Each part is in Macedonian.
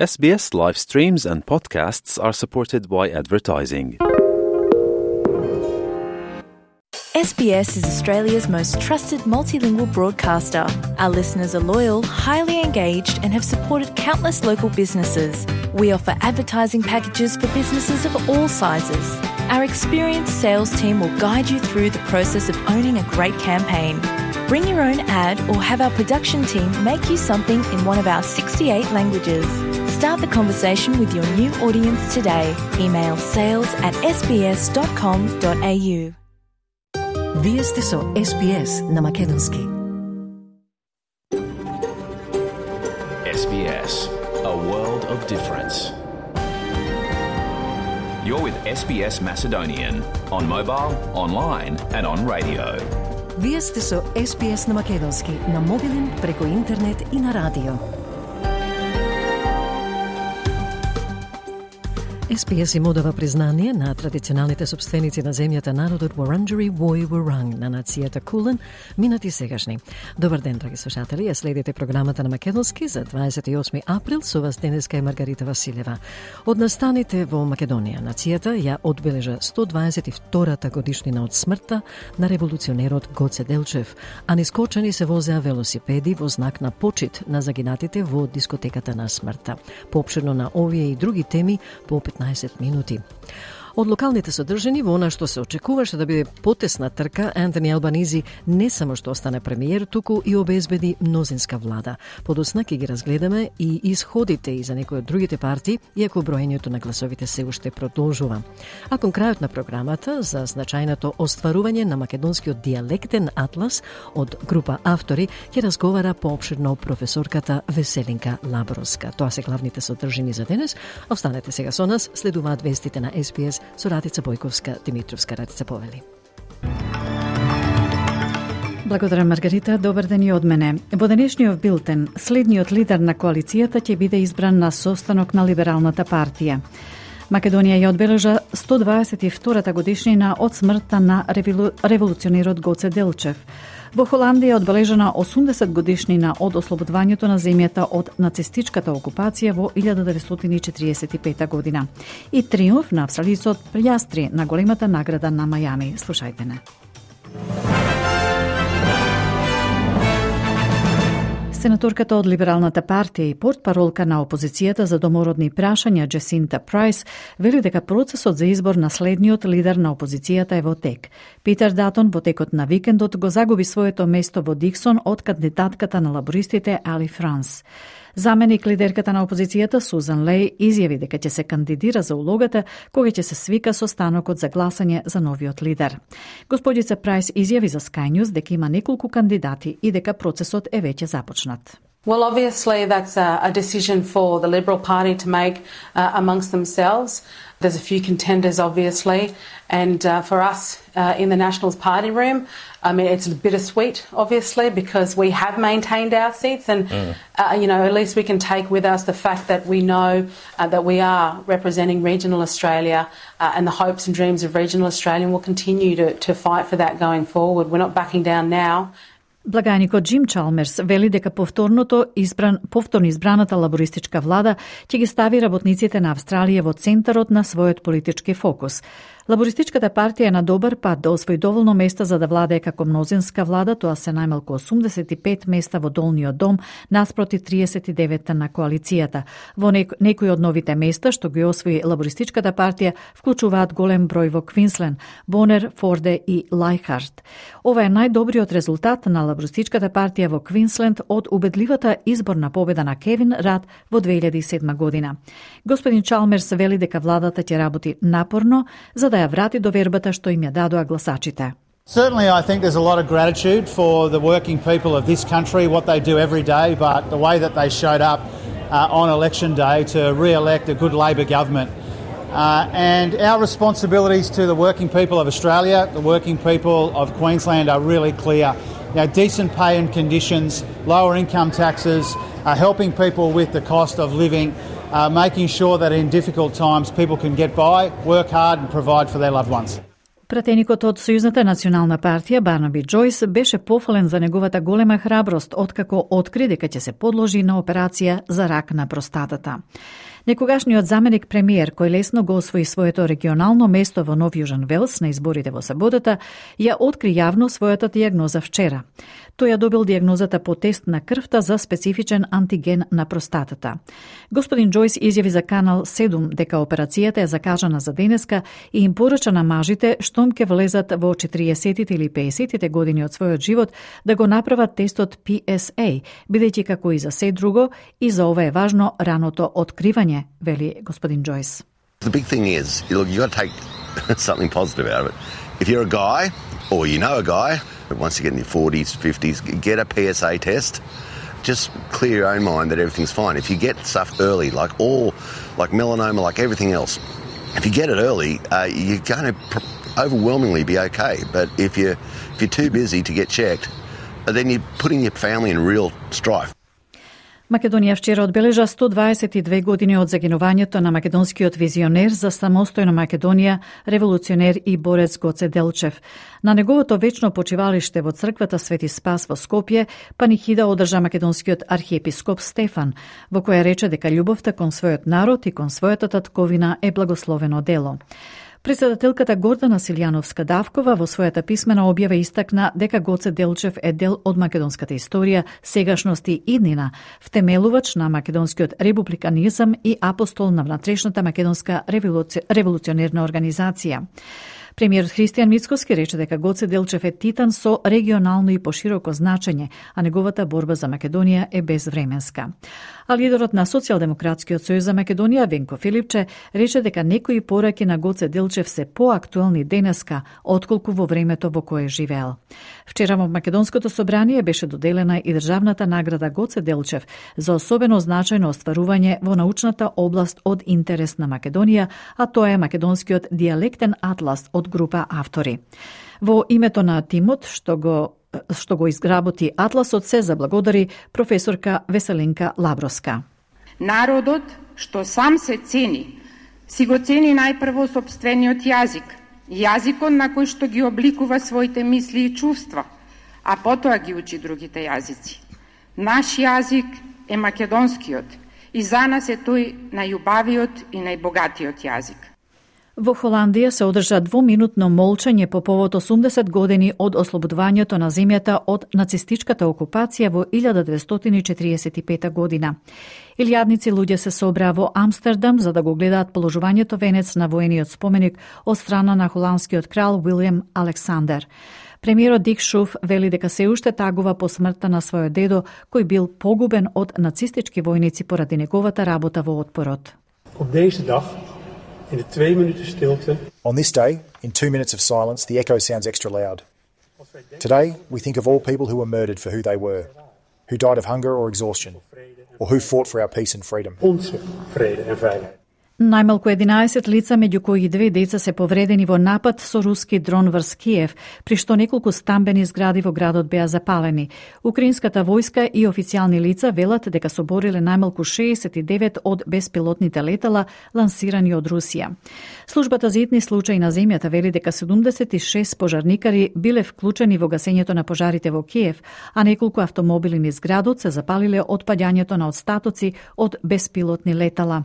SBS live streams and podcasts are supported by advertising. SBS is Australia's most trusted multilingual broadcaster. Our listeners are loyal, highly engaged, and have supported countless local businesses. We offer advertising packages for businesses of all sizes. Our experienced sales team will guide you through the process of owning a great campaign. Bring your own ad or have our production team make you something in one of our 68 languages. Start the conversation with your new audience today. Email sales@sbs.com.au. Вие сте со SBS на Македонски. SBS, a world of difference. You're with SBS Macedonian on mobile, online and on radio. Вие сте со SBS на Македонски на мобилен, преку интернет и на радио. SBS им одава признание на традиционалните собственици на земјата, народот Wurundjeri Woi Wurrung на нацијата Кулен, минати и сегашни. Добар ден, драги слушатели, ја следите програмата на Македонски за 28 април, со вас денеска е Маргарита Василева. Од настаните во Македонија, нацијата ја одбележа 122-та годишнина од смртта на револуционерот Гоце Делчев, а нискочени се возеа велосипеди во знак на почит на загинатите во дискотеката на смртта. Поопширно на овие и други теми по 15 минути. Од локалните содржини во она што се очекуваше да биде потесна трка, Антони Албанизи не само што остане премиер, туку и обезбеди мнозинска влада. Подоцна ќе ги разгледаме и исходите и за некои од другите партии, иако броењето на гласовите се уште продолжува. А кон крајот на програмата за значајното остварување на македонскиот дијалектен атлас од група автори ќе разговара поопширно професорката Веселинка Лабровска. Тоа се главните содржини за денес. Останете сега со нас, следуваат вестите на SBS со Радица Бојковска, Димитровска. Радица, повели. Благодарам, Маргарита. Добар ден и од мене. Во денешниот билтен, следниот лидер на коалицијата ќе биде избран на состанок на Либералната партија. Македонија ја одбележа 122-та годишнина од смртта на револуционерот Гоце Делчев. Во Холандија одбележана 80 годишнина од ослободувањето на земјата од нацистичката окупација во 1945 година. И триумф на австралицот Пијастри на големата награда на Мајами. Слушајте не. Сенаторката од Либералната партија и портпаролка на опозицијата за домородни прашања Джесинта Прайс вели дека процесот за избор на следниот лидер на опозицијата е во тек. Питер Датон во текот на викендот го загуби своето место во Диксон од кандидатката на лабористите Али Франс. Заменик лидерката на опозицијата Сузан Леј изјави дека ќе се кандидира за улогата кога ќе се свика состанокот за гласање за новиот лидер. Господица Прайс изјави за Sky News дека има неколку кандидати и дека процесот е веќе започнат. Well, obviously that's a decision for the Liberal Party to make amongst themselves. There's a few contenders, obviously, and for us in the Nationals party room, I mean, it's bittersweet, obviously, because we have maintained our seats and, you know, at least we can take with us the fact that we know that we are representing regional Australia and the hopes and dreams of regional Australia, and we'll continue to fight for that going forward. We're not backing down now. Благајникот Джим Чалмерс вели дека повторно избраната лабористичка влада ќе ги стави работниците на Австралија во центарот на својот политички фокус. Лабористичката партија е на добар пат да освои доволно места за да владее како мнозинска влада, тоа се најмалку 85 места во долниот дом наспроти 39 на коалицијата. Во некои од новите места што ги освои лабористичката партија вклучуваат голем број во Квинслен, Бонер, Форде и Лајхард. Ова е најдобриот резултат на лабористичката партија во Квинсленд од убедливата изборна победа на Кевин Рад во 2007 година. Господин Чалмерс вели дека владата ќе работи напорно за да ја врати довербата што им ја дадоа гласачите. Certainly I think there's a lot of gratitude for the working people of this country, what they do every day, but the way that they showed up on election day to re-elect a good Labor government. And our responsibilities to the working people of Australia, the working people of Queensland are really clear. You know, decent pay and conditions, lower income taxes, helping people with the cost of living, making sure that in difficult times people can get by, work hard and provide for their loved ones. Пратеникот од Сојузната национална партија Барнаби Џојс беше пофален за неговата голема храброст откако откри дека ќе се подложи на операција за рак на простатата. Некогашниот заменик премиер, кој лесно го освои своето регионално место во Нов Јужен Велс на изборите во саботата, ја откри јавно својата дијагноза вчера. Тој ја добил дијагнозата по тест на крвта за специфичен антиген на простатата. Господин Џојс изјави за Канал 7 дека операцијата е закажана за денеска и им порача на мажите штом ќе влезат во 40-тите или 50-тите години од својот живот да го направат тестот PSA, бидејќи како и за се друго, и за ова е важно раното откривање, вели господин Џојс. The big thing is, look, you got to take something positive out of it. If you're a guy, or you know a guy, once you get in your 40s, 50s, get a PSA test. Just clear your own mind that everything's fine. If you get stuff early, like melanoma, like everything else, if you get it early, you're going to overwhelmingly be okay. But if you're too busy to get checked, then you're putting your family in real strife. Македонија вчера одбележа 122 години од загинувањето на македонскиот визионер за самостојна Македонија, револуционер и борец Гоце Делчев. На неговото вечно почивалиште во црквата Свети Спас во Скопје, панихида одржа македонскиот архиепископ Стефан, во која рече дека љубовта кон својот народ и кон својата татковина е благословено дело. Председателката Гордана Силјановска-Давкова во својата писмена објава истакна дека Гоце Делчев е дел од македонската историја, сегашност и иднина, втемелувач на македонскиот републиканизам и апостол на внатрешната македонска револуционерна организација. Премиерот Христијан Мицкоски рече дека Гоце Делчев е титан со регионално и пошироко значење, а неговата борба за Македонија е безвременска. А лидерот на Социјалдемократскиот сојуз за Македонија, Венко Филипче, рече дека некои пораки на Гоце Делчев се поактуелни денеска, отколку во времето во кое живеел. Вчера во Македонското собрание беше доделена и државната награда Гоце Делчев за особено значајно остварување во научната област од интерес на Македонија, а тоа е македонскиот дијалектен атлас од група автори. Во името на тимот што го изгработи атласот се заблагодари професорка Веселинка Лаброска. Народот што сам се цени, си го цени најпрво сопствениот јазик, јазикот на кој што ги обликува своите мисли и чувства, а потоа ги учи другите јазици. Наш јазик е македонскиот и за нас е тој најубавиот и најбогатиот јазик. Во Холандија се одржа двуминутно молчање по повод 80 години од ослободувањето на земјата од нацистичката окупација во 1945 година. Илјадници луѓе се собраа во Амстердам за да го гледаат положувањето венец на воениот споменик од страна на холандскиот крал Вилјам Александер. Премиерот Дик Шуф вели дека се уште тагува по смртта на својот дедо, кој бил погубен од нацистички војници поради неговата работа во отпорот. Op deze dag, in de 2 minuten stilte. On this day, in 2 minutes of silence, the echo sounds extra loud. Today, we think of all people who were murdered for who they were, who died of hunger or exhaustion, or who fought for our peace and freedom. Onze vrede en vrijheid. Најмалку 11 лица, меѓу кои 2 деца, се повредени во напад со руски дрон врз Киев, при што неколку стамбени згради во градот беа запалени. Украинската војска и официјални лица велат дека собориле најмалку 69 од беспилотните летала лансирани од Русија. Службата за итни случаи на земјата вели дека 76 пожарникари биле вклучени во гасењето на пожарите во Киев, а неколку автомобили низ градот се запалиле од паѓањето на остатоци од беспилотни летала.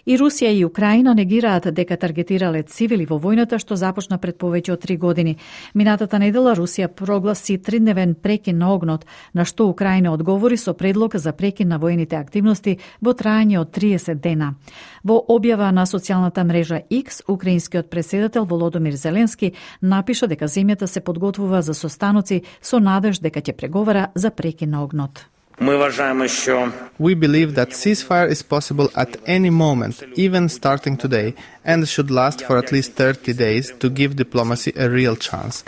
И Русија и Украина негираат дека таргетирале цивили во војната што започна пред повеќе од 3 години. Минатата недела Русија прогласи 3-дневен прекин на огнот, на што Украина одговори со предлог за прекин на воените активности во трајање од 30 дена. Во објава на социјалната мрежа X, украинскиот председател Володомир Зеленски напиша дека земјата се подготвува за состаноци со надеж дека ќе преговара за прекин на огнот. We believe that ceasefire is possible at any moment, even starting today, and should last for at least 30 days to give diplomacy a real chance.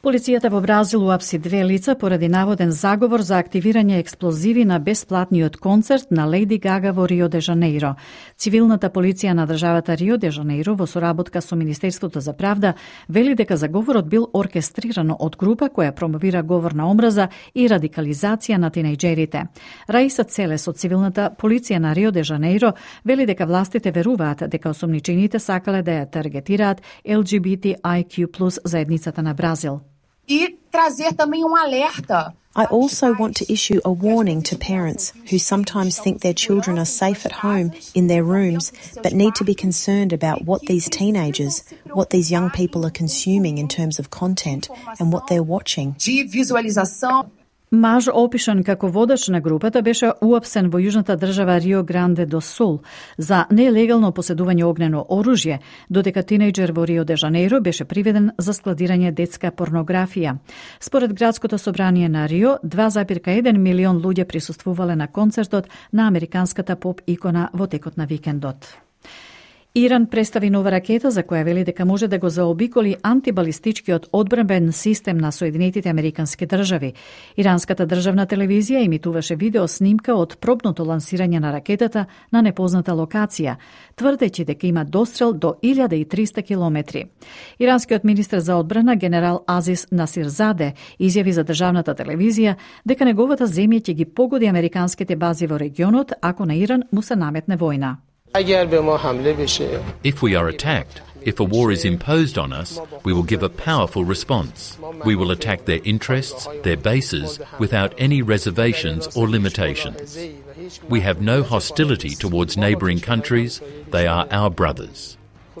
Полицијата во Бразил уапси 2 лица поради наводен заговор за активирање експлозиви на бесплатниот концерт на Лејди Гага во Рио де Жанеиро. Цивилната полиција на државата Рио де Жанеиро во соработка со Министерството за правда вели дека заговорот бил оркестрирано од група која промовира говор на омраза и радикализација на тинејџерите. Раиса Целес од цивилната полиција на Рио де Жанеиро вели дека властите веруваат дека осомничените сакале да ја таргетираат LGBTIQ+ заедницата на Бразил. E trazer também alerta. I also want to issue a warning to parents who sometimes think their children are safe at home in their rooms but need to be concerned about what these teenagers, what these young people are consuming in terms of content and what they're watching. De visualização. Маж опишан како водач на групата беше уапсен во јужната држава Рио Гранде до Сул за нелегално поседување огнено оружје, додека тинејџер во Рио де Жанеиро беше приведен за складирање детска порнографија. Според градското собрание на Рио, 2,1 милион луѓе присуствувале на концертот на американската поп икона во текот на викендот. Иран представи нова ракета за која вели дека може да го заобиколи антибалистичкиот одбранбен систем на Соединетите Американски држави. Иранската државна телевизија емитуваше видео снимка од пробното лансирање на ракетата на непозната локација, тврдејќи дека има дострел до 1300 километри. Иранскиот министер за одбрана генерал Азис Насирзаде изјави за државната телевизија дека неговата земја ќе ги погоди американските бази во регионот ако на Иран му се наметне војна. If we are attacked, if a war is imposed on us, we will give a powerful response. We will attack their interests, their bases, without any reservations or limitations. We have no hostility towards neighbouring countries. They are our brothers.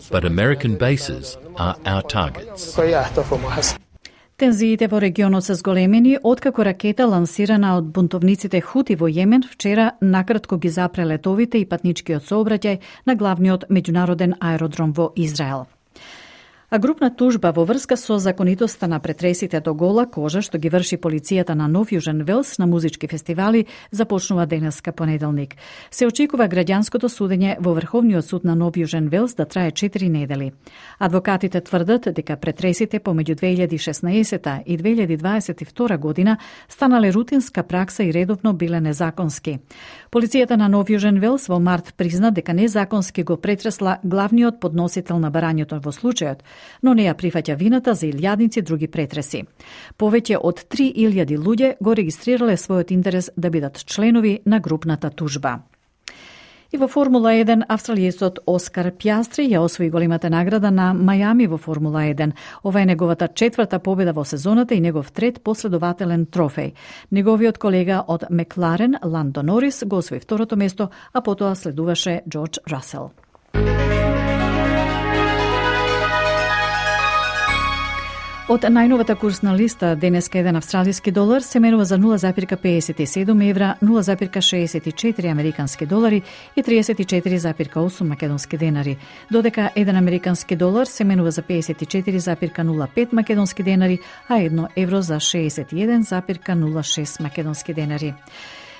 But American bases are our targets. Тензиите во регионот се зголемени откако ракета лансирана од бунтовниците Хути во Јемен вчера накратко ги запре летовите и патничкиот сообраќај на главниот меѓународен аеродром во Израел. А групна тужба во врска со законитоста на претресите до гола кожа што ги врши полицијата на Нов Јужен Велс на музички фестивали започнува денеска понеделник. Се очекува граѓанското судење во Врховниот суд на Нов Јужен Велс да трае 4 недели. Адвокатите тврдат дека претресите помеѓу 2016 и 2022 година станале рутинска пракса и редовно биле незаконски. Полицијата на Нов Јужен Велс во март призна дека незаконски го претресла главниот подносител на барањето во случајот, но не ја прифаќа вината за илјадници други претреси. Повеќе од 3000 луѓе го регистрирале својот интерес да бидат членови на групната тужба. И во Формула 1, австралиецот Оскар Пјастри ја освои големата награда на Мајами во Формула 1. Ова е неговата 4-та победа во сезоната и негов 3 последователен трофеј. Неговиот колега од Мекларен, Ландо Норис, го освои 2-то место, а потоа следуваше Џорџ Расел. Од најновата курсна листа, денеска еден австралиски долар се менува за 0,57 евра, 0,64 американски долари и 34,8 македонски денари, додека еден американски долар се менува за 54,05 македонски денари, а 1 евро за 61,06 македонски денари.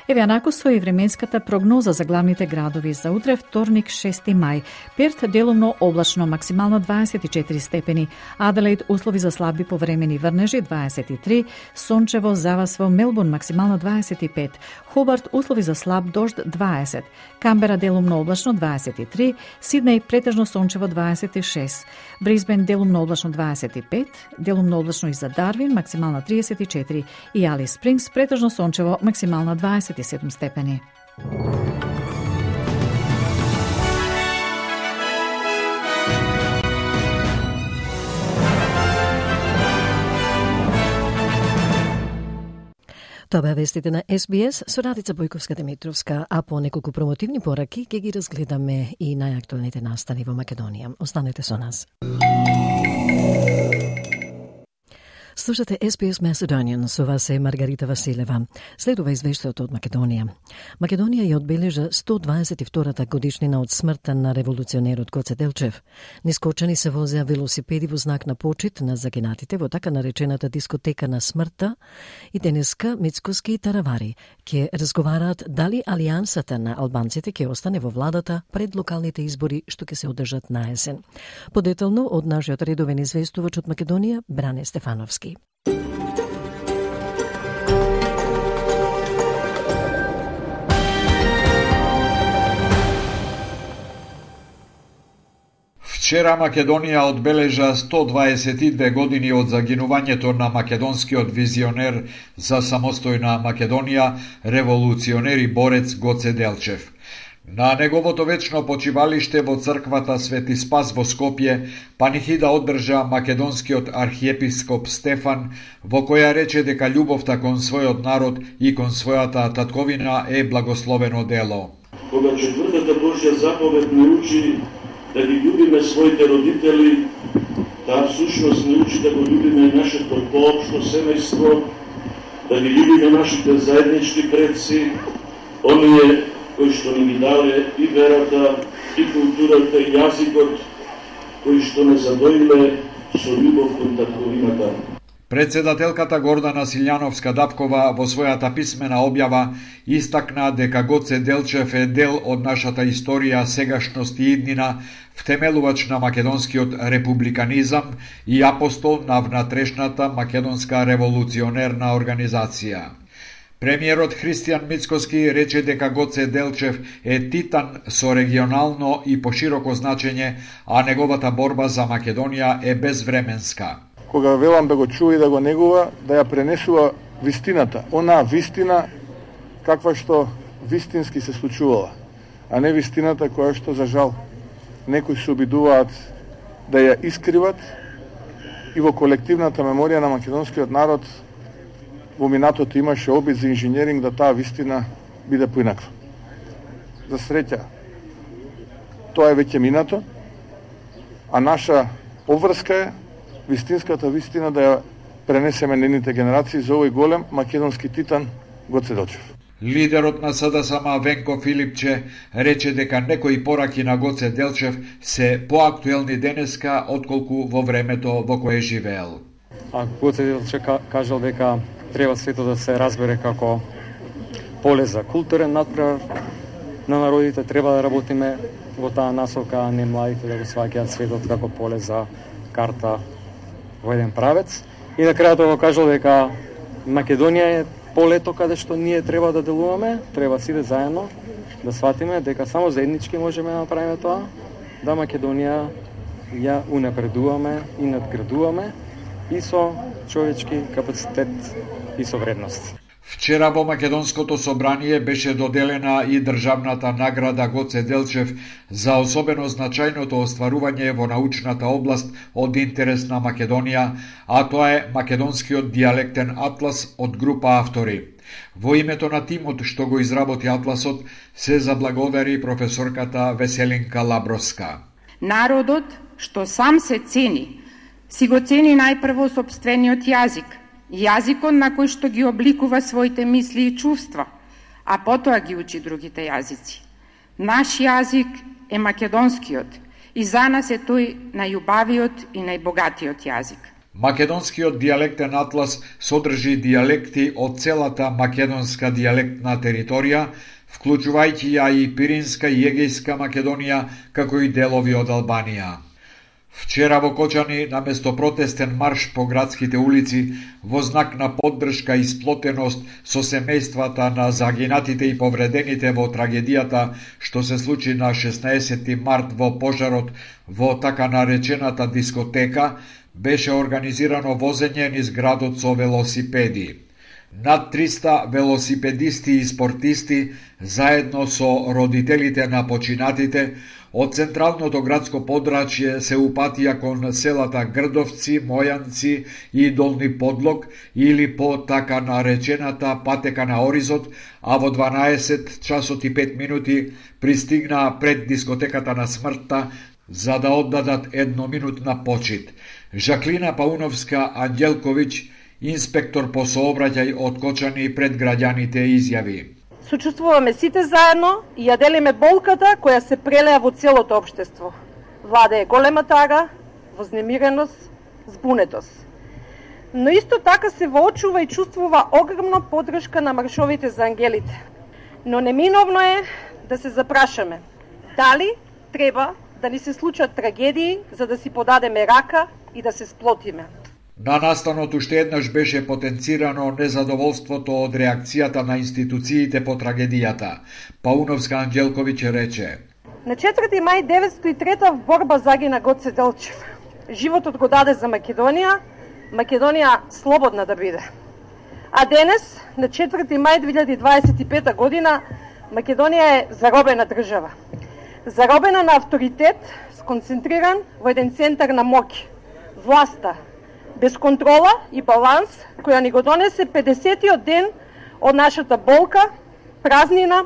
Еве анакусо и временската прогноза за главните градови за утре, вторник 6 мај. Перт делумно облачно, максимално 24 степени. Аделаид услови за слаби повремени врнежи 23, сончево завас во Мелбурн максимално 25, Хобарт услови за слаб дожд 20, Камбера делумно облачно 23, Сиднеј претежно сончево 26, Брисбен делумно облачно 25, делумно облачно и за Дарвин максимално 34 и Алис Спрингс претежно сончево максимално 27 степени. Тоа беа вестите на SBS со Радица Бојковска-Димитровска, а по неколку промотивни пораки ќе ги разгледаме и најактуелните настани во Македонија. Останете со нас. Слушате SBS Macedonian, со вас е Маргарита Василева. Следува извештајот од Македонија. Македонија ја одбележа 122-та годишнина од смртта на револуционерот Гоце Делчев. Нискочани се возеа велосипеди во знак на почит на загинатите во така наречената дискотека на смртта и денеска Мицкоски и Таравари ќе разговараат дали алијансата на албанците ќе остане во владата пред локалните избори што ќе се одржат на есен. Подетално од нашиот редовен известувач од Македонија Бране Стефановски. Вчера Македонија одбележа 122 години од загинувањето на македонскиот визионер за самостојна Македонија, револуционер и борец Гоце Делчев. На неговото вечно почивалиште во црквата Свети Спас во Скопје панихида одржа македонскиот архиепископ Стефан, во која рече дека љубовта кон својот народ и кон својата татковина е благословено дело. Кога четвртата Божја заповед не учи да ги љубиме своите родители, таа всушност не учи да го љубиме нашето поопшто семејство, да ги љубиме нашите заеднички предци, оние кои што ни ги дале и верата, и културата, и јазикот, кои што не задоиле со љубов кон татковината. Председателката Гордана Силјановска-Дапкова во својата писмена објава истакна дека Гоце Делчев е дел од нашата историја, сегашност и иднина, втемелувач на македонскиот републиканизам и апостол на внатрешната македонска револуционерна организација. Премиерот Христијан Мицкоски рече дека Гоце Делчев е титан со регионално и пошироко значење, а неговата борба за Македонија е безвременска. Кога велам да го чува и да го негува, да ја пренесува вистината, онаа вистина каква што вистински се случувала, а не вистината која што за жал некои се обидуваат да ја искриват и во колективната меморија на македонскиот народ во минатото имаше обид за инженеринг да таа вистина биде поинаква. За среќа, тоа е веќе минато, а наша обврска е вистинската вистина да ја пренесеме нейните генерации за овој голем македонски титан Гоце Делчев. Лидерот на СДСМ Венко Филипче рече дека некои пораки на Гоце Делчев се поактуелни денеска отколку во времето во кое живеел. А Гоце Делчев кажал дека треба светот да се разбере како поле за културен натпревар на народите, треба да работиме во таа насока, а не младите да го сваќаат светот како поле за карта во еден правец. И на крајот го кажал дека Македонија е полето каде што ние треба да делуваме, треба сите заедно да сватиме дека само заеднички можеме да направиме тоа, да Македонија ја унапредуваме и надградуваме и со човечки капацитет и со вредности. Вчера во Македонското собрание беше доделена и државната награда Гоце Делчев за особено значајното остварување во научната област од интерес на Македонија, а тоа е Македонскиот дијалектен атлас од група автори. Во името на тимот што го изработи атласот се заблагодари професорката Веселинка Лаброска. Народот што сам се цени, си го цени најпрво сопствениот јазик, јазикот на кој што ги обликува своите мисли и чувства, а потоа ги учи другите јазици. Наш јазик е македонскиот и за нас е тој најубавиот и најбогатиот јазик. Македонскиот дијалектен атлас содржи дијалекти од целата македонска дијалектна територија, вклучувајќи ја и Пиринска и Егејска Македонија, како и делови од Албанија. Вчера во Кочани, наместо протестен марш по градските улици, во знак на поддршка и сплотеност со семејствата на загинатите и повредените во трагедијата што се случи на 16 март во пожарот во така наречената дискотека, беше организирано возење низ градот со велосипеди. Над 300 велосипедисти и спортисти, заедно со родителите на починатите, од централното градско подрачје се упатија кон селата Грдовци, Мојанци и Долни Подлог или по така наречената патека на Оризот, а во 12 часот и 5 минути пристигнаа пред дискотеката на смртта за да оддадат едноминутна почит. Жаклина Пауновска Анđелковиќ, инспектор по сообраќај од Кочани, пред граѓаните изјави: Сочувствуваме сите заедно и ја делиме болката која се прелеа во целото општество. Влада е голема тага, вознемиреност, збунетост. Но исто така се воочува и чувствува огромна поддршка на маршовите за ангелите. Но неминовно е да се запрашаме дали треба да ни се случат трагедии за да си подадеме рака и да се сплотиме. На настанот уште еднаш беше потенцирано незадоволството од реакцијата на институциите по трагедијата. Пауновска Анđелковиќ рече: На 4. мај 903 в борба загина Гоце Делчев. Животот го даде за Македонија, Македонија слободна да биде. А денес, на 4. мај 2025 година, Македонија е заробена држава. Заробена на авторитет, сконцентриран во еден центар на моќ. Власта, без контрола и баланс, која ни го донесе 50-тиот ден од нашата болка, празнина,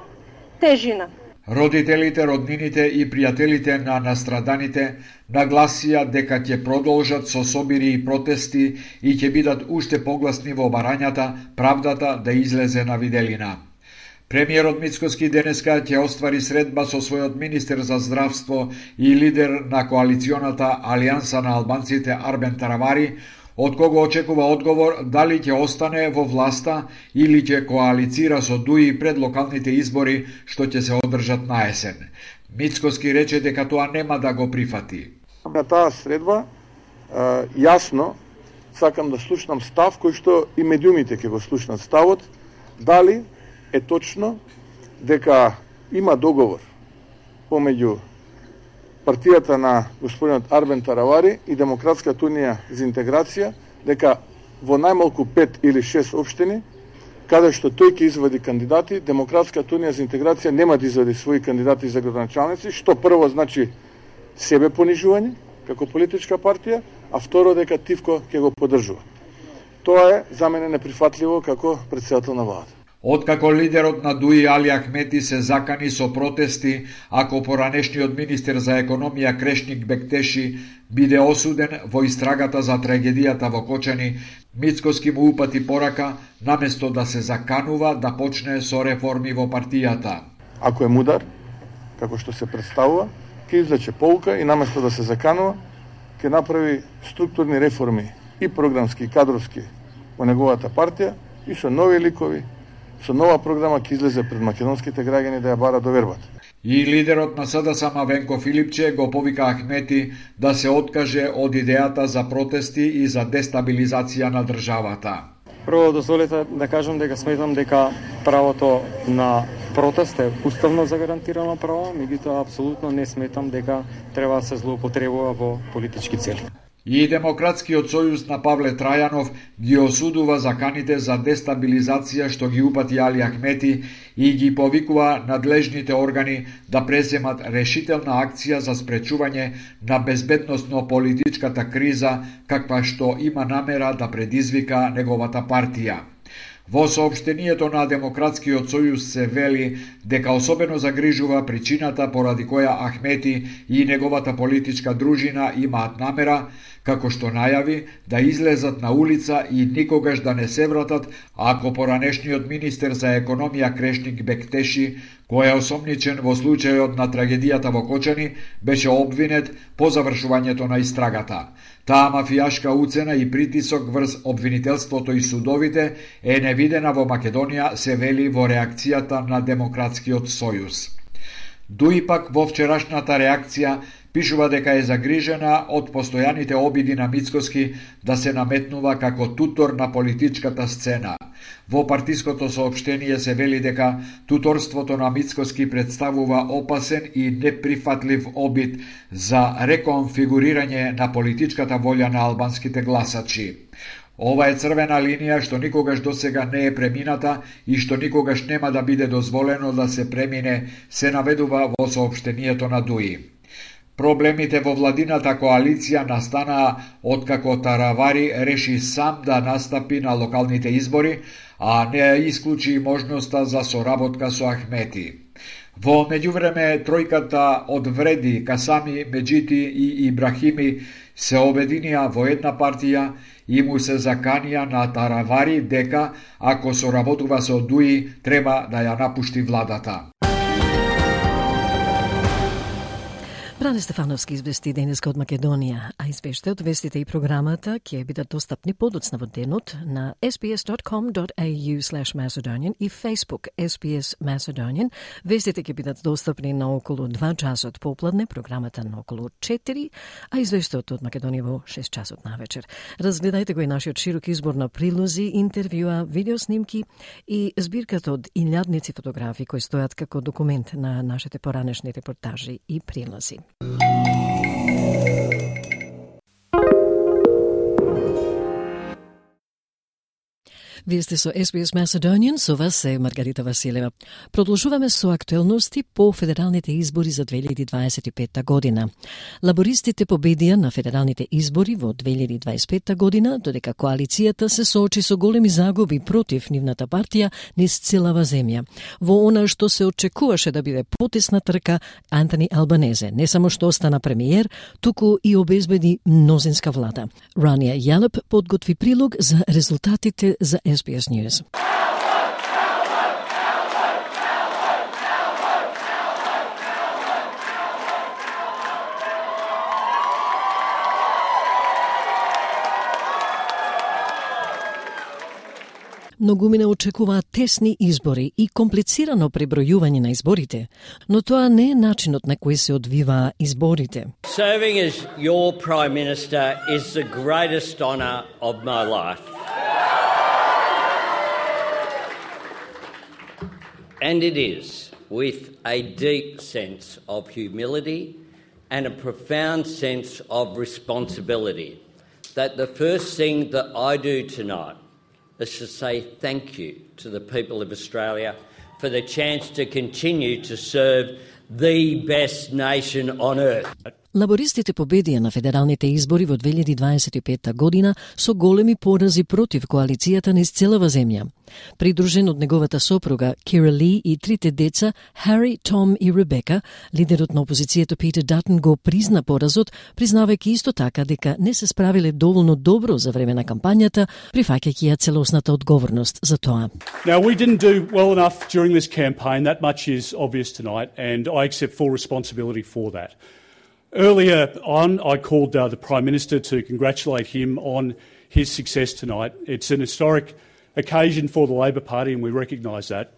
тежина. Родителите, роднините и пријателите на настраданите нагласија дека ќе продолжат со собири и протести и ќе бидат уште погласни во барањата правдата да излезе на виделина. Премиерот Мицкоски денеска ќе оствари средба со својот министер за здравство и лидер на коалиционата Алијанса на албанците Арбен Таравари, од кого очекува одговор дали ќе остане во власта или ќе коалицира со Дуи пред локалните избори што ќе се одржат на есен. Мицкоски рече дека тоа нема да го прифати. На таа средба јасно сакам да слушнам став кој што и медиумите ќе го слушнат ставот, дали е точно дека има договор помеѓу партијата на господинот Арбен Таравари и Демократската унија за интеграција, дека во најмалку 5 или 6 општини, каде што тој ќе извади кандидати, Демократската унија за интеграција нема да извади своји кандидати за градоначалници, што прво значи себе понижување како политичка партија, а второ дека Тивко ќе го поддржува. Тоа е за мене неприфатливо како претседател на владата. Откако лидерот на Дуи Али Ахмети се закани со протести, ако поранешниот министер за економија Крешник Бектеши биде осуден во истрагата за трагедијата во Кочани, Мицкоски му упати порака, наместо да се заканува да почне со реформи во партијата. Ако е мудар, како што се представува, ќе извлече поука и наместо да се заканува, ќе направи структурни реформи и програмски и кадровски во неговата партија и со нови ликови, со нова програма ќе излезе пред македонските граѓани да ја бара довербата. И лидерот на СДСМ Венко Филипче го повика Ахмети да се откаже од идејата за протести и за дестабилизација на државата. Прво дозволете да кажам дека сметам дека правото на протест е уставно загарантирано право, меѓутоа апсолутно не сметам дека треба да се злоупотребува во политички цели. И Демократскиот сојуз на Павле Трајанов ги осудува заканите за дестабилизација што ги упати Али Ахмети и ги повикува надлежните органи да преземат решителна акција за спречување на безбедносно-политичката криза каква што има намера да предизвика неговата партија. Во соопштението на Демократскиот сојуз се вели дека особено загрижува причината поради која Ахмети и неговата политичка дружина имаат намера, како што најави, да излезат на улица и никогаш да не се вратат ако поранешниот министер за економија Крешник Бектеши, кој е осомничен во случајот на трагедијата во Кочани, беше обвинет по завршувањето на истрагата. Таа мафијашка уцена и притисок врз обвинителството и судовите е невидена во Македонија, се вели во реакцијата на Демократскиот сојуз. Дуи пак во вчерашната реакција пишува дека е загрижена од постојаните обиди на Мицкоски да се наметнува како тутор на политичката сцена. Во партиското соопштение се вели дека туторството на Мицкоски представува опасен и неприфатлив обид за реконфигурирање на политичката волја на албанските гласачи. Ова е црвена линија што никогаш досега не е премината и што никогаш нема да биде дозволено да се премине, се наведува во соопштението на Дуи. Проблемите во владината коалиција настанаа откако Таравари реши сам да настапи на локалните избори, а не исклучи можноста за соработка со Ахмети. Во меѓувреме тројката од Вреди, Касами, Меджити и Ибрахими се обединија во една партија и му се заканија на Таравари дека ако соработува со Дуи треба да ја напушти владата. Ране Стефановски извести денеска од Македонија, а извештајот, вестите и програмата ќе бидат достапни подоцна во денот на sbs.com.au/Macedonian и Facebook SBS Macedonian. Вестите ќе бидат достапни на околу 2 часот попладне, програмата на околу 4, а извештајот од Македонија во 6 часот навечер. Разгледајте го и нашиот широк избор на прилози, интервјуа, видеоснимки и збирката од илјадници фотографии кои стојат како документ на нашите поранешни репортажи и прилози. Вие сте со SBS Macedonian, со вас е Маргарита Василева. Продолжуваме со актуелности по федералните избори за 2025 година. Лабористите победија на федералните избори во 2025 година, додека коалицијата се соочи со големи загуби против нивната партија низ целава земја. Во она што се очекуваше да биде потесна трка, Антони Албанезе не само што остана премиер, туку и обезбеди мнозинска влада. Рания Јалеп подготви прилог за резултатите за SBS News. Многумина очекуваат тесни избори и комплицирано пребројување на изборите, но тоа не е начинот на кој се одвиваа изборите. Serving as your Prime Minister is the greatest honour of my life. And it is, with a deep sense of humility and a profound sense of responsibility, that the first thing that I do tonight is to say thank you to the people of Australia for the chance to continue to serve the best nation on earth. Лабористите победија на федералните избори во 2025 година со големи порази против коалицијата низ целава земја. Придружен од неговата сопруга Кира Ли и трите деца Хари, Том и Ребека, лидерот на опозицијата Питер Датон го призна поразот, признавајќи исто така дека не се справиле доволно добро за време на кампањата, прифаќајќи ја целосната одговорност за тоа. Now, we didn't do well enough during this campaign. That much is obvious tonight, and I accept full responsibility for that. Earlier on, I called the Prime Minister to congratulate him on his success tonight. It's an historic occasion for the Labor Party, and we recognise that.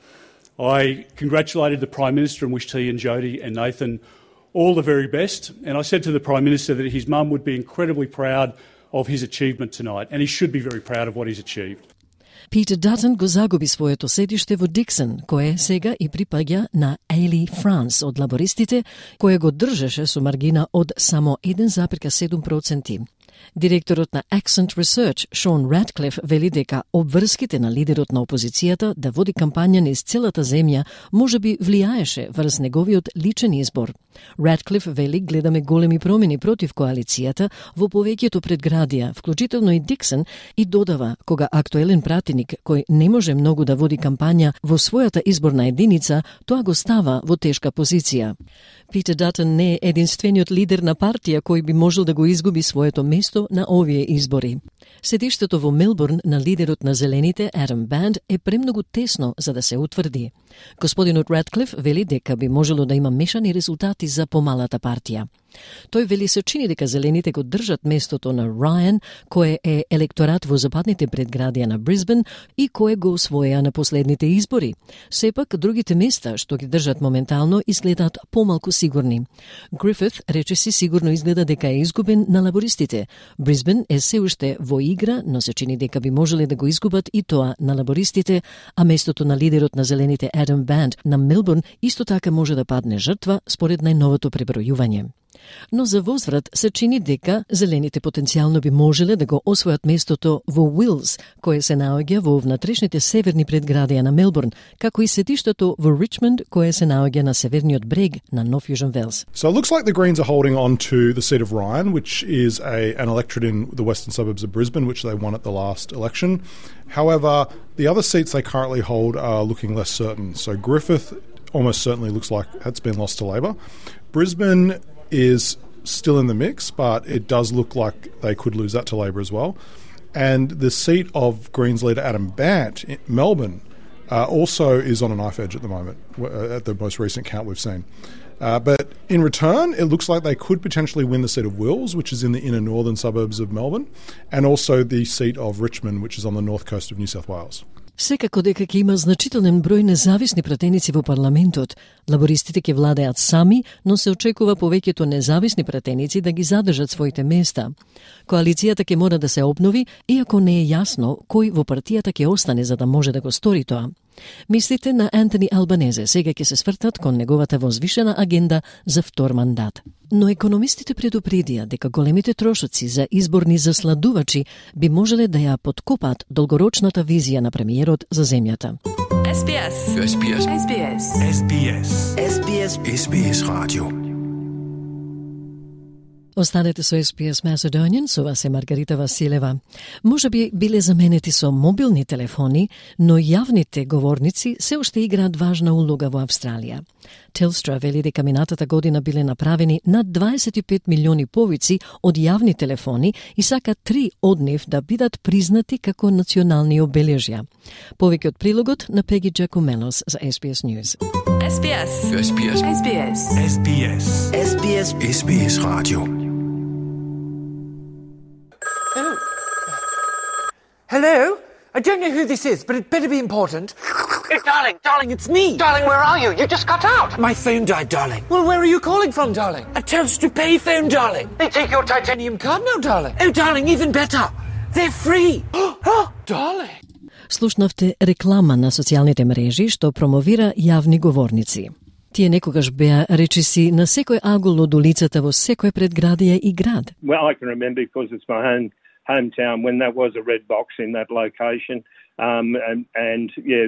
I congratulated the Prime Minister and wished he and Jody and Nathan all the very best. And I said to the Prime Minister that his mum would be incredibly proud of his achievement tonight, and he should be very proud of what he's achieved. Питер Датон го загуби своето седиште во Диксон, кое сега и припаѓа на Ейли Франс од лабористите, кое го држеше со маргина од само 1,7%. Директорот на Accent Research, Шон Радклиф, вели дека обврските на лидерот на опозицијата да води кампања низ целата земја можеби влијаеше врз неговиот личен избор. Радклиф вели гледаме големи промени против коалицијата во повеќето предградија, вклучително и Диксон, и додава кога актуелен пратеник кој не може многу да води кампања во својата изборна единица, тоа го става во тешка позиција. Питер Датон не е единствениот лидер на партија кој би можел да го изгуби своето место на овие избори. Седиштето во Мелбурн на лидерот на Зелените, Адам Банд, е премногу тесно за да се утврди. Господинот Радклиф вели дека би можело да има мешани резултати за помалата партија. Тој вели се чини дека Зелените го држат местото на Рајан, кој е електорат во западните предградија на Брисбен и кој го освоја на последните избори. Сепак, другите места што ги држат моментално изгледаат помалку сигурни. Грифит речиси сигурно изгледа дека е изгубен на лабористите. Брисбен е се уште во игра, но се чини дека би можеле да го изгубат и тоа на лабористите, а местото на лидерот на Зелените Адам Банд на Мелбурн исто така може да падне жртва според најновото пребројување. Но за возврат се чини дека Зелените потенцијално би можеле да го освојат местото во Уилс, кое се наоѓа во внатрешните северни предградија на Мелбурн, како и сетиштето во Ричмонд, кое се наоѓа на северниот брег на Нов Јужен Велс. So it looks like the Greens are holding on to the seat of Ryan, which is an electorate in the western suburbs of Brisbane, which they won at the last election. However, the other seats they currently hold are looking less certain. So Griffith almost certainly looks like it's been lost to Labor. Brisbane is still in the mix, but it does look like they could lose that to Labor as well. And the seat of Greens leader Adam Bant in Melbourne also is on a knife edge at the moment, at the most recent count we've seen. But in return, it looks like they could potentially win the seat of Wills, which is in the inner northern suburbs of Melbourne, and also the seat of Richmond, which is on the north coast of New South Wales. Секако дека ќе има значителен број независни пратеници во парламентот, лабористите ќе владеат сами, но се очекува повеќето независни пратеници да ги задржат своите места. Коалицијата ќе мора да се обнови, иако не е јасно кој во партијата ќе остане за да може да го стори тоа. Мислите на Антони Албанезе сега ќе се свртат кон неговата возвишена агенда за втор мандат. Но економистите предупредија дека големите трошоци за изборни засладувачи би можеле да ја подкопаат долгорочната визија на премиерот за земјата. SBS. SBS. SBS. SBS. SBS. SBS Radio. Останете со SBS Macedonian, со вас е Маргарита Василева. Може би биле заменети со мобилни телефони, но јавните говорници се уште играат важна улога во Австралија. Telstra вели дека минатата година биле направени над 25 милиони повици од јавни телефони и сака 3 од нив да бидат признати како национални обележја. Повеќе од прилогот на Пеги Джакумелос за SBS News. SBS. SBS. SBS. SBS. SBS. SBS Radio. Hello? I don't know who this is, but it better be important. Oh, darling, it's me. Darling, where are you? You just cut out. My phone died, darling. Well, where are you calling from, darling? A Telstra pay phone, darling. They take your titanium card now, darling. Oh, darling, even better. They're free. Oh, darling. Слушнавте реклама на социјалните мрежи што промовира јавни говорници. Тие некогаш беа речиси на секој агол од улицата во секој предградие и град. Well, I can remember because it's my hometown when that was a red box in that location, and yeah,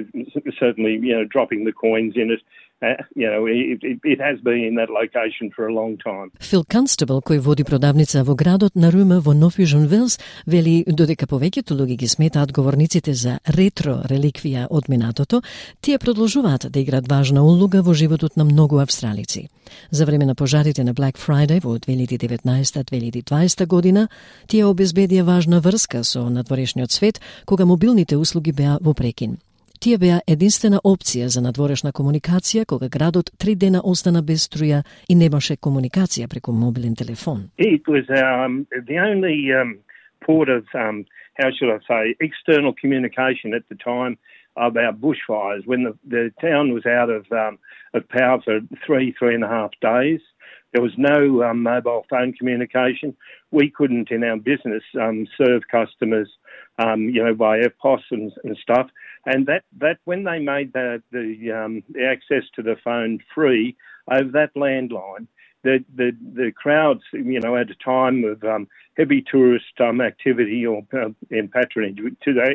certainly, dropping the coins in it. It has been in that location for a long time. Фил Констебл, кој води продавница во градот на Рума во Нов Јужен Велс, вели додека повеќето луѓе ги сметаат говорниците за ретро реликвија од минатото, тие продолжуваат да играат важна улога во животот на многу австралици. За време на пожарите на Black Friday во 2019-2020 година, тие обезбедија важна врска со надворешниот свет, кога мобилните услуги беа во прекин. Тие беа единствена опција за надворешна комуникација кога градот 3 дена остана без струја и немаше комуникација преку мобилен телефон. It was the only port of, how should I say, external communication at the time about bushfires when the town was out of power for 3.5 days. There was no mobile phone communication. We couldn't, in our business, serve customers, by EFTPOS and stuff. And that when they made the access to the phone free over that landline, the crowds, at a time of heavy tourist activity or in patronage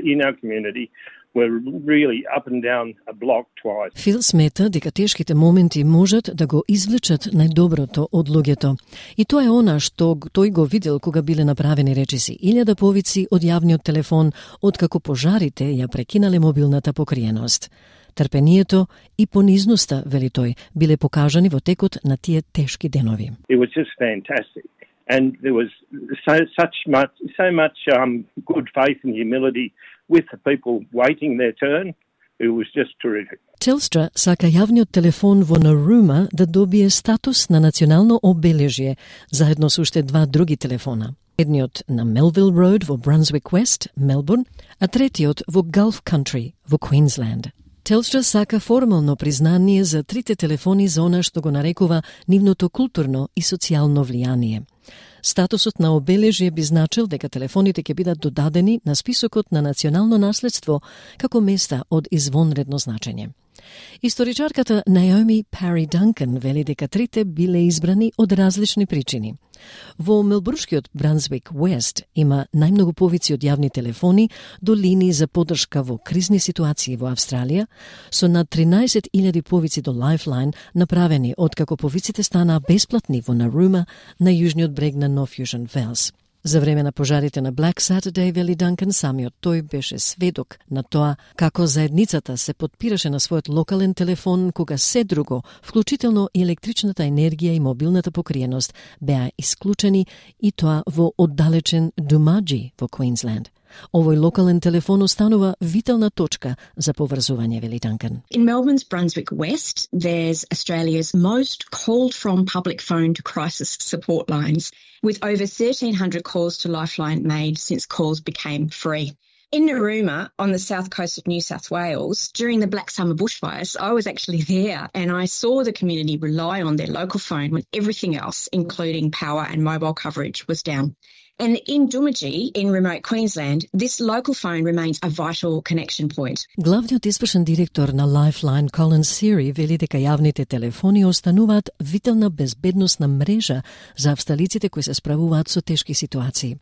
in our community, were really up and down a block twice. Фил смета дека тешките моменти можат да го извлечат најдоброто од луѓето. И тоа е она што тој го видел кога биле направени речиси 1000 повици од јавниот телефон, откако пожарите ја прекинале мобилната покриеност. Трпението и понизноста, вели тој, биле покажани во текот на тие тешки денови. It was just fantastic. And there was so much good faith and humility with the people waiting their turn. It was just terrific. Telstra сака јавниот телефон во Нарума да добие статус на национално обележје, заедно со уште 2 други телефона. Едниот на Melville Road во Brunswick West, Мелбурн, а третиот во Gulf Country во Queensland. Telstra сака формално признание за 3 телефони за она што го нарекува нивното културно и социјално влијание. Статусот на обележје би значил дека телефоните ќе бидат додадени на списокот на национално наследство како места од извонредно значење. Историчарката Наоми Пари Данкан вели дека 3 биле избрани од различни причини. Во Мелбурнскиот Брансвик Уест има најмногу повици од јавни телефони до линии за поддршка во кризни ситуации во Австралија, со над 13.000 повици до Lifeline направени откако повиците станаа бесплатни во Нарума на јужниот брег на Нов Јужен Велс. За време на пожарите на Black Saturday, вели Данкан, самиот тој беше сведок на тоа како заедницата се подпираше на својот локален телефон кога се друго, вклучително и електричната енергија и мобилната покриеност, беа исклучени и тоа во оддалечен Думаджи во Квинсленд. Овој локален телефон останува витална точка за поврзување, вели Данкан. In Melbourne's Brunswick West, there's Australia's most called from public phone to crisis support lines, with over 1,300 calls to Lifeline made since calls became free. In Narooma, on the south coast of New South Wales, during the Black Summer bushfires, I was actually there and I saw the community rely on their local phone when everything else, including power and mobile coverage, was down. And in Doomadgee, in remote Queensland, this local phone remains a vital connection point. Главниот испршен директор на Lifeline, Colin Seary, вели дека јавните телефони остануваат витална безбедносна мрежа за австралиците кои се справуваат со тешки ситуации.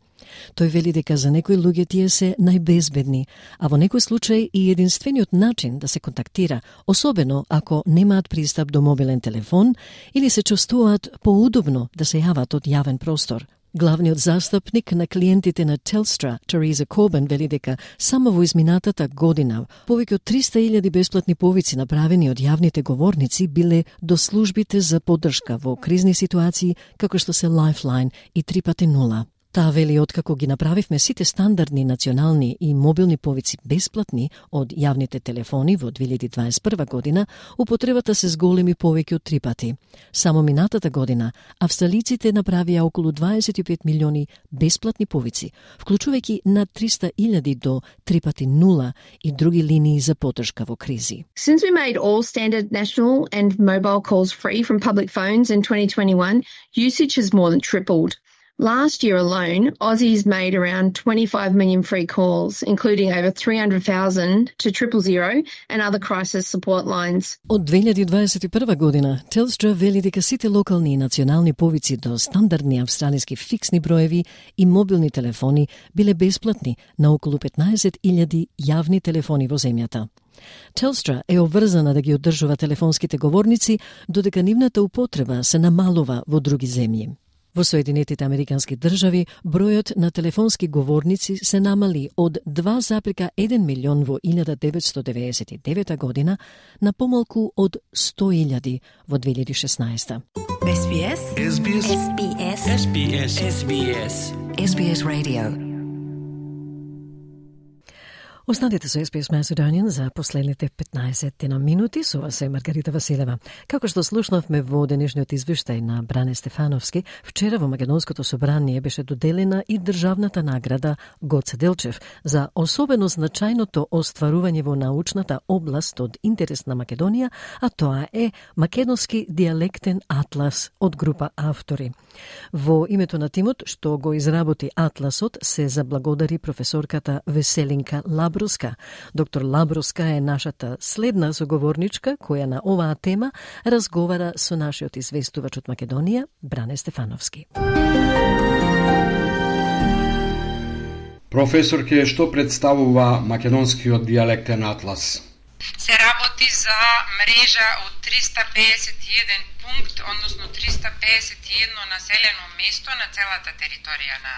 Тој вели дека за некои луѓе тие се најбезбедни, а во некој случај и единствениот начин да се контактира, особено ако немаат пристап до мобилен телефон или се чувствуваат поудобно да се јават од јавен простор. Главниот застапник на клиентите на Telstra, Teresa Corbin, вели дека само во изминатата година повеќе од 300.000 бесплатни повици направени од јавните говорници биле до службите за поддршка во кризни ситуации како што се Lifeline и 3x0. Таа вели откако ги направивме сите стандардни национални и мобилни повици бесплатни од јавните телефони во 2021 година, употребата се зголеми повеќе од 3 пати. Само минатата година австралиците направија околу 25 милиони бесплатни повици, вклучувајќи над 300.000 до 3x0 и други линии за поддршка во кризи. Since we made all standard national and mobile calls free from public phones in 2021, usage has more than tripled. Last year alone, Aussies made around 25 million free calls, including over 300,000 to 000 and other crisis support lines. Од 2021 година, Telstra вели дека сите локални и национални повици до стандардни австралиски фиксни броеви и мобилни телефони биле бесплатни на околу 15.000 јавни телефони во земјата. Telstra е обврзана да ги одржува телефонските говорници, додека нивната употреба се намалува во други земји. Во Соединетите Американски држави, бројот на телефонски говорници се намали од 2,1 милион во 1999 година на помалку од 100.000 во 2016. SBS SBS SBS SBS SBS SBS Radio. Останете со SBS Macedonian за последните 15 минути. Со вас е Маргарита Василева. Како што слушнавме во денешниот извештај на Бране Стефановски, вчера во Македонското собрание беше доделена и државната награда Гоце Делчев за особено значајното остварување во научната област од интерес на Македонија, а тоа е Македонски диалектен атлас од група автори. Во името на тимот што го изработи атласот се заблагодари професорката Веселинка Лабруска. Доктор Лабруска е нашата следна соговорничка која на оваа тема разговара со нашиот известувач од Македонија, Бране Стефановски. Професорке, што представува Македонскиот диалектен атлас? Се работи за мрежа од 351 пункт, односно 351 населено место на целата територија на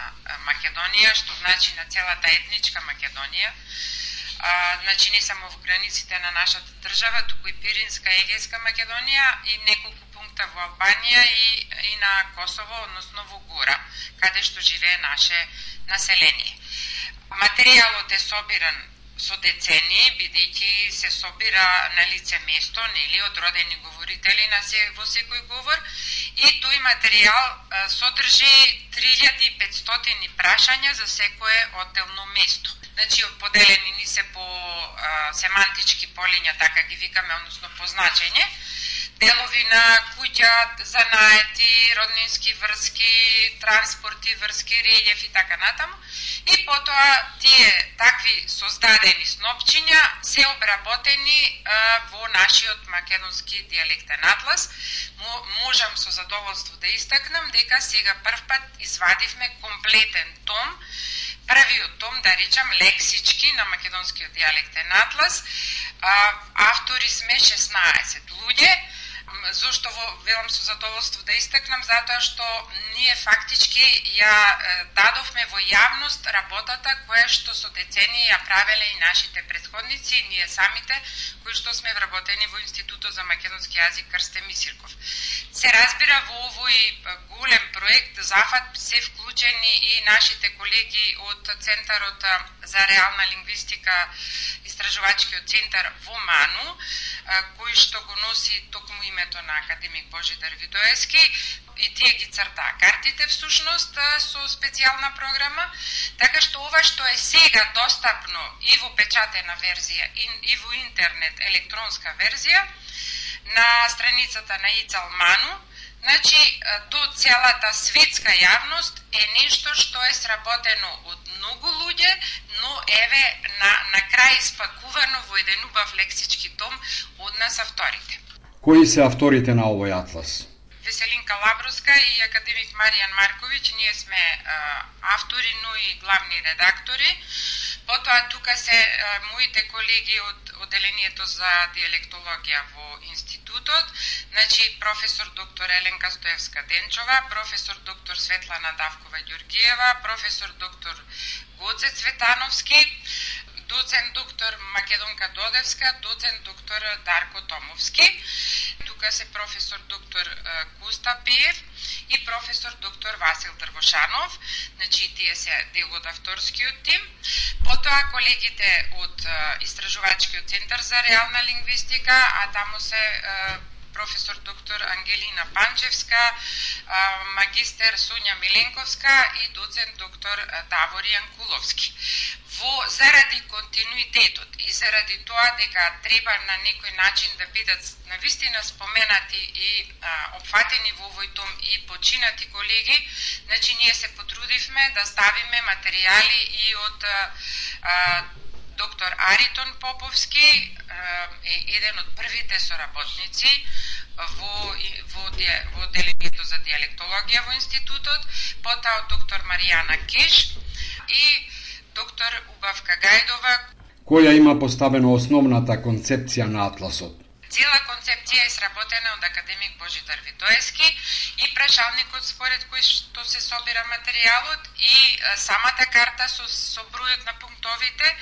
Македонија, што значи на целата етничка Македонија. Значи не само во границите на нашата држава, туку и Пиринска, Егејска Македонија и неколку пункта во Албанија и на Косово, односно во Гора, каде што живее наше население. Материјалот е собиран со децении, бидејќи се собира на лице место, нели, од родени говорители во секој говор, и тој материјал содржи 3500 прашања за секое одделно место. Значи, поделени ни се по семантички полиња, така ги викаме, односно по значење, делови на куќа, занаети, роднински врски, транспорти, врски, релјеф и така натаму. И потоа тие такви создадени снопчиња се обработени во нашиот македонски диалектен атлас. Можам со задоволство да истакнам дека сега првпат извадивме комплетен том, првиот том, да речам, лексички на македонскиот диалектен атлас. Автори сме 16 луѓе. Зошто велам со задоволство да истакнам, затоа што ние фактички ја дадовме во јавност работата која што со децении ја правеле и нашите претходници и ние самите, кои што сме вработени во Институтот за македонски јазик Крсте Мисирков. Се разбира, во овој голем проект зафат се вклучени и нашите колеги од Центарот за реална лингвистика, истражувачкиот центар во Ману, кој што го носи токму името на академик Божидар Видоевски, и тие ги цртаа картите всушност со специјална програма, така што ова што е сега достапно и во печатена верзија и во интернет електронска верзија на страницата на ИЦАЛ Ману, значи до целата светска јавност е нешто што е сработено од многу луѓе, но еве на крај спакувано во еден убав лексички том од нас авторите. Кои се авторите на овој атлас? Веселинка Лабровска и академик Маријан Марковиќ, ние сме автори, но и главни редактори. Потоа тука се моите колеги од одделението за диалектологија во институтот, значи професор доктор Еленка Стоевска-Денчова, професор доктор Светлана Давкова-Ѓоргиева, професор доктор Гоце Цветановски, доцент доктор Македонка Додевска, доцент доктор Дарко Томовски. Тука се професор доктор Коста Пеев и професор доктор Васил Дрвошанов, значи тие се дел од авторскиот тим. Потоа колегите од Истражувачкиот центар за реална лингвистика, а таму се професор доктор Ангелина Панчевска, магистер Сонја Миленковска и доцент доктор Давор Јанкуловски. Заради континуитетот и заради тоа дека треба на некој начин да бидат навистина споменати и опфатени во овој том и починати колеги, значи ние се потрудивме да ставиме материјали и од доктор Аритон Поповски, еден од првите соработници во одделението за диалектологија во институтот, потоа од доктор Маријана Кеш и доктор Убавка Гајдова. Која има поставено основната концепција на атласот? Цела концепција е сработена од академик Божидар Видоевски и прашалникот според кој што се собира материјалот и самата карта со бројот на пунктовите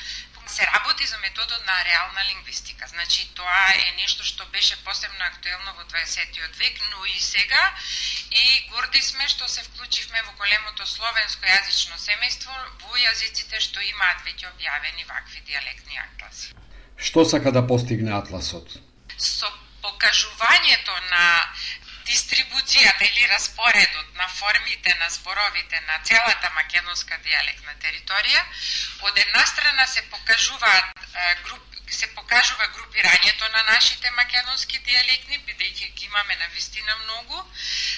се работи за методот на реална лингвистика. Значи тоа е нешто што беше посебно актуелно во 20-тиот век, но и сега, и горди сме што се вклучивме во големото словенско јазично семејство во јазиците што имаат веќе објавени вакви дијалектни атласи. Што сака да постигне атласот? Со покажувањето на дистрибуцијата или распоредот на формите на зборовите на целата македонска дијалектна територија, од една страна се покажува групирањето на нашите македонски дијалектни, бидејќи ги имаме навистина многу,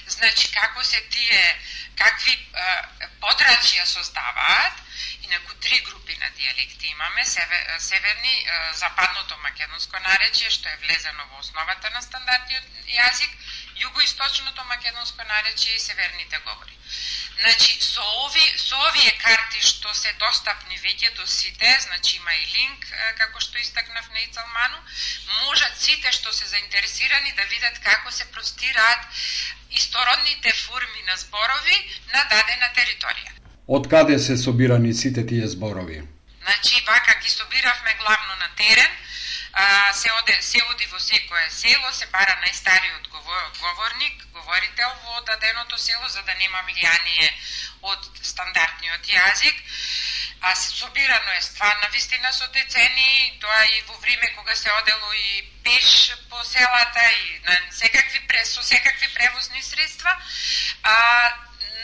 значи како се тие, какви подрачја создаваат, инаку три групи на дијалекти имаме, северни, западното македонско наречје, што е влезено во основата на стандартниот јазик, југоисточното македонско наречје и северните говори. Значи, со овие карти што се достапни веќе до сите, значи има и линк, како што истакнав на ИЦАЛ Ману, можат сите што се заинтересирани да видат како се простираат истородните форми на зборови на дадена територија. Од каде се собирани сите тие зборови? Значи, вака ги собиравме главно на терен, се оди во секое село, се бара најстариот говорител во даденото село, за да нема влијание од стандартниот јазик, а собирано е стварна вистина со децении, тоа и во време кога се одело и пеш по селата и со секакви превозни средства.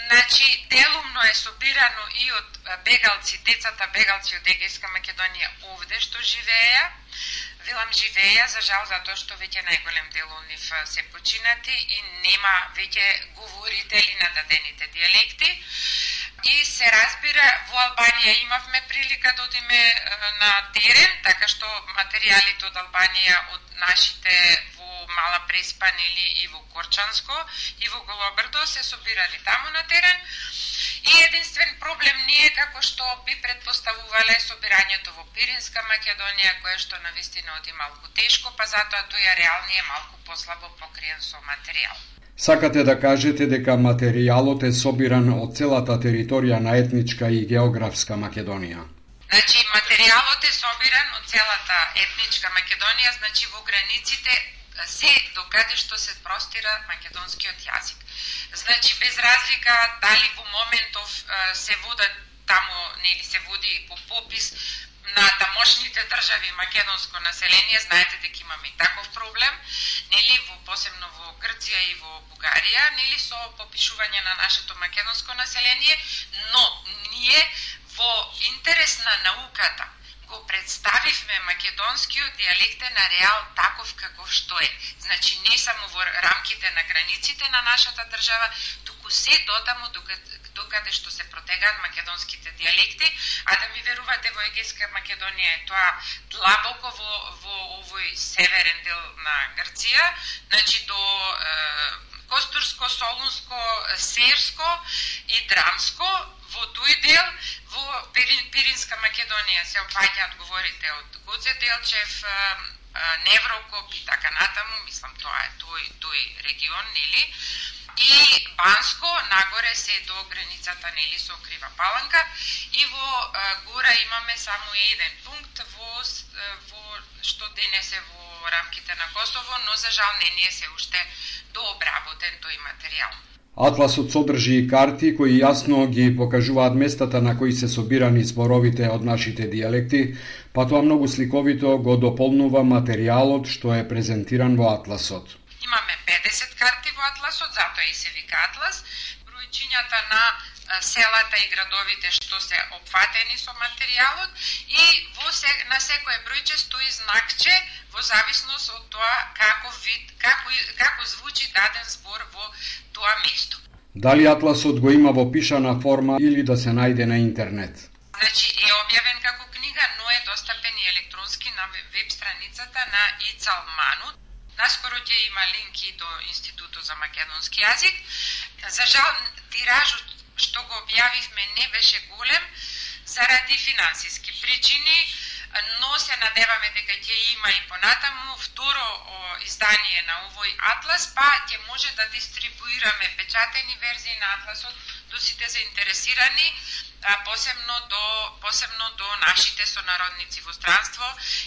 Значи, делумно е собирано и од бегалци, децата бегалци од Егејска Македонија овде што живееја. Велам живееја, за жал, затоа што веќе најголем дел од нив се починати и нема веќе говорители на дадените дијалекти. И се разбира, во Албанија имавме прилика да одиме на терен, така што материјалите од Албанија од нашите во Мала Преспа, нели, и во Корчанско, и во Голобрдо се собирали таму на терен. И единствен проблем не е како што би предпоставувале собирањето во Пиринска Македонија, кое што навистина оди малку тешко, па затоа тој ареал не е малку послабо покриен со материјал. Сакате да кажете дека материјалот е собиран од целата територија на етничка и географска Македонија? Значи, материјалот е собиран од целата етничка Македонија, значи во границите се докаде што се простира македонскиот јазик. Значи, без разлика дали во моментов се водат таму, нели се води по попис на тамошните држави македонско население, знаете дека имаме и таков проблем, нели, посебно во Грција и во Бугарија, нели, со попишување на нашето македонско население, но ние во интерес на науката го представивме македонскиот диалектен ареал таков каков што е. Значи, не само во рамките на границите на нашата држава, туку се дотаму докаде што се протегаат македонските диалекти, а да ми верувате, во Егејска Македонија е тоа длабоко во овој северен дел на Грција, значи до Костурско, Солунско, Серско и Драмско, во тој дел, во Пиринска Македонија се опаѓаат говорите од Гоце Делчев, Неврокоп и така натаму, мислам тоа е тој регион, нели? И Банско, нагоре се до границата, нели, со Крива Паланка, и во гора имаме само еден пункт што денес е во рамките на Косово, но за жал не е се уште дообработен тој материјал. Атласот содржи и карти кои јасно ги покажуваат местата на кои се собирани зборовите од нашите диалекти, па тоа многу сликовито го дополнува материјалот што е презентиран во Атласот. Имаме 50 карти во Атласот, затоа и се вика Атлас. Бројчињата на селата и градовите што се опфатени со материјалот и на секое бројче стои знакче во зависност од тоа како звучи даден збор во тоа место. Дали Атласот го има во пишана форма или да се најде на интернет? Значи е објавен како книга, но е достапен и електронски на веб страницата на Ицал Манут. Наскоро ќе има линки до Институтот за македонски јазик. За жал, тиражот што го објавивме не беше голем заради финансиски причини, но се надеваме дека ќе има и понатаму второ издание на овој атлас, па ќе може да дистрибуираме печатени верзии на атласот до сите заинтересирани, посебно до нашите сонародници во странство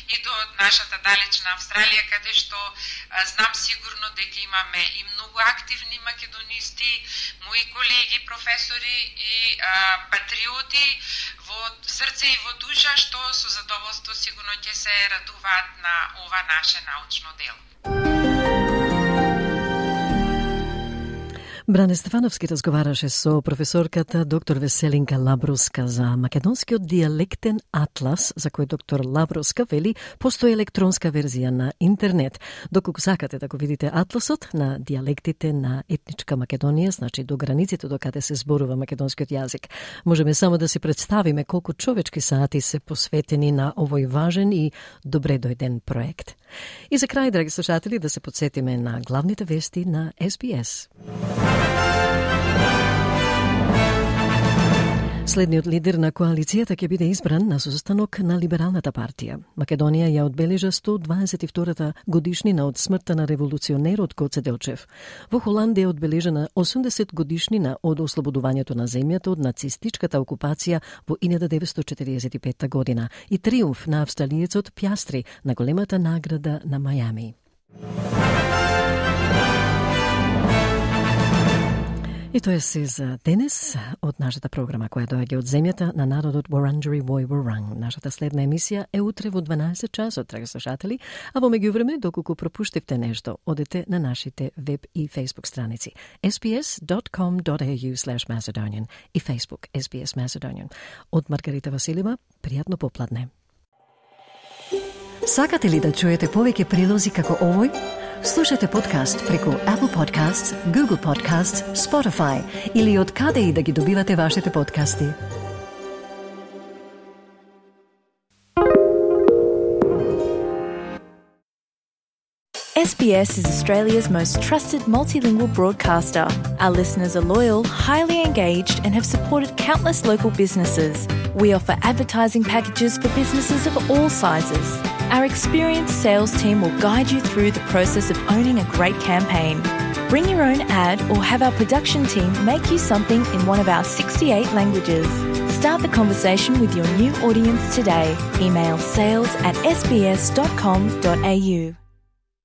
и до нашата далечна Австралија, каде што знам сигурно дека имаме и многу активни македонисти, мои колеги, професори и патриоти во срце и во душа, што со задоволство сигурно ќе се радуваат на ова наше научно дело. Бране Стефановски разговараше со професорката доктор Веселинка Лабруска за македонскиот диалектен атлас, за кој доктор Лабруска вели постои електронска верзија на интернет. Доколку сакате да го видите атласот на диалектите на етничка Македонија, значи до границите до каде се зборува македонскиот јазик, можеме само да си представиме колку човечки сати се посветени на овој важен и добре дојден проект. И за крај, драги слушатели, да се подсетиме на главните вести на SBS. Следниот лидер на коалицијата ќе биде избран на состанок на Либералната партија. Македонија ја одбележа 122-та годишнина од смртта на револуционерот Гоце Делчев. Во Холандија е одбележена 80 годишнина од ослободувањето на земјата од нацистичката окупација во 1945 година и триумф на австралиецот Пјастри на големата награда на Мајами. И тоа е се за денес од нашата програма која доаѓа од земјата на народот Wurundjeri Woi Wurrung. Нашата следна емисија е утре во 12 часот, драги слушатели, а во меѓувреме, доколку пропуштивте нешто, одете на нашите веб и Facebook страници sbs.com.au/Macedonian и Facebook SBS Macedonian. Од Маргарита Василева, пријатно попладне. Сакате ли да чуете повеќе прилози како овој? Слушате подкаст преку Apple Podcasts, Google Podcasts, Spotify или од каде и да ги добивате вашите подкасти. SBS is Australia's most trusted multilingual broadcaster. Our listeners are loyal, highly engaged, and have supported countless local businesses. We offer advertising packages for businesses of all sizes. Our experienced sales team will guide you through the process of owning a great campaign. Bring your own ad or have our production team make you something in one of our 68 languages. Start the conversation with your new audience today. Email sales@sbs.com.au.